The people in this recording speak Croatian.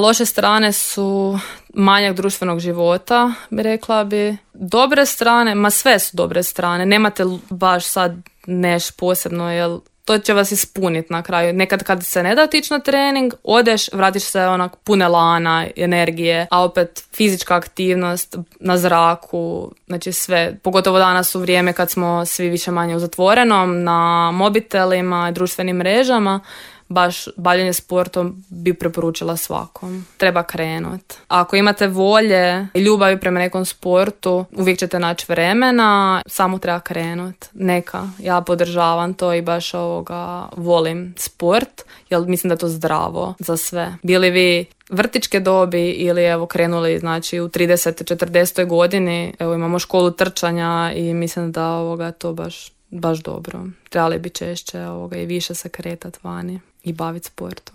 Loše strane su manjak društvenog života, bi rekla bi. Dobre strane, sve su dobre strane. Nemate baš sad posebno, jer to će vas ispuniti na kraju. Nekad kad se ne da otići na trening, odeš, vratiš se onak pune lana, energije, a opet fizička aktivnost na zraku, znači sve. Pogotovo danas u vrijeme kad smo svi više manje u zatvorenom, na mobitelima, društvenim mrežama, baš bavljenje sportom bi preporučila svakom. Treba krenut. Ako imate volje i ljubavi prema nekom sportu, uvijek ćete naći vremena, samo treba krenut. Neka, ja podržavam to i baš volim sport, jer mislim da je to zdravo za sve. Bili vi vrtićke dobi ili evo krenuli znači u 30. 40. godini, evo imamo školu trčanja i mislim da to baš dobro. Trebali bi češće i više se kretati vani i baviti sportom.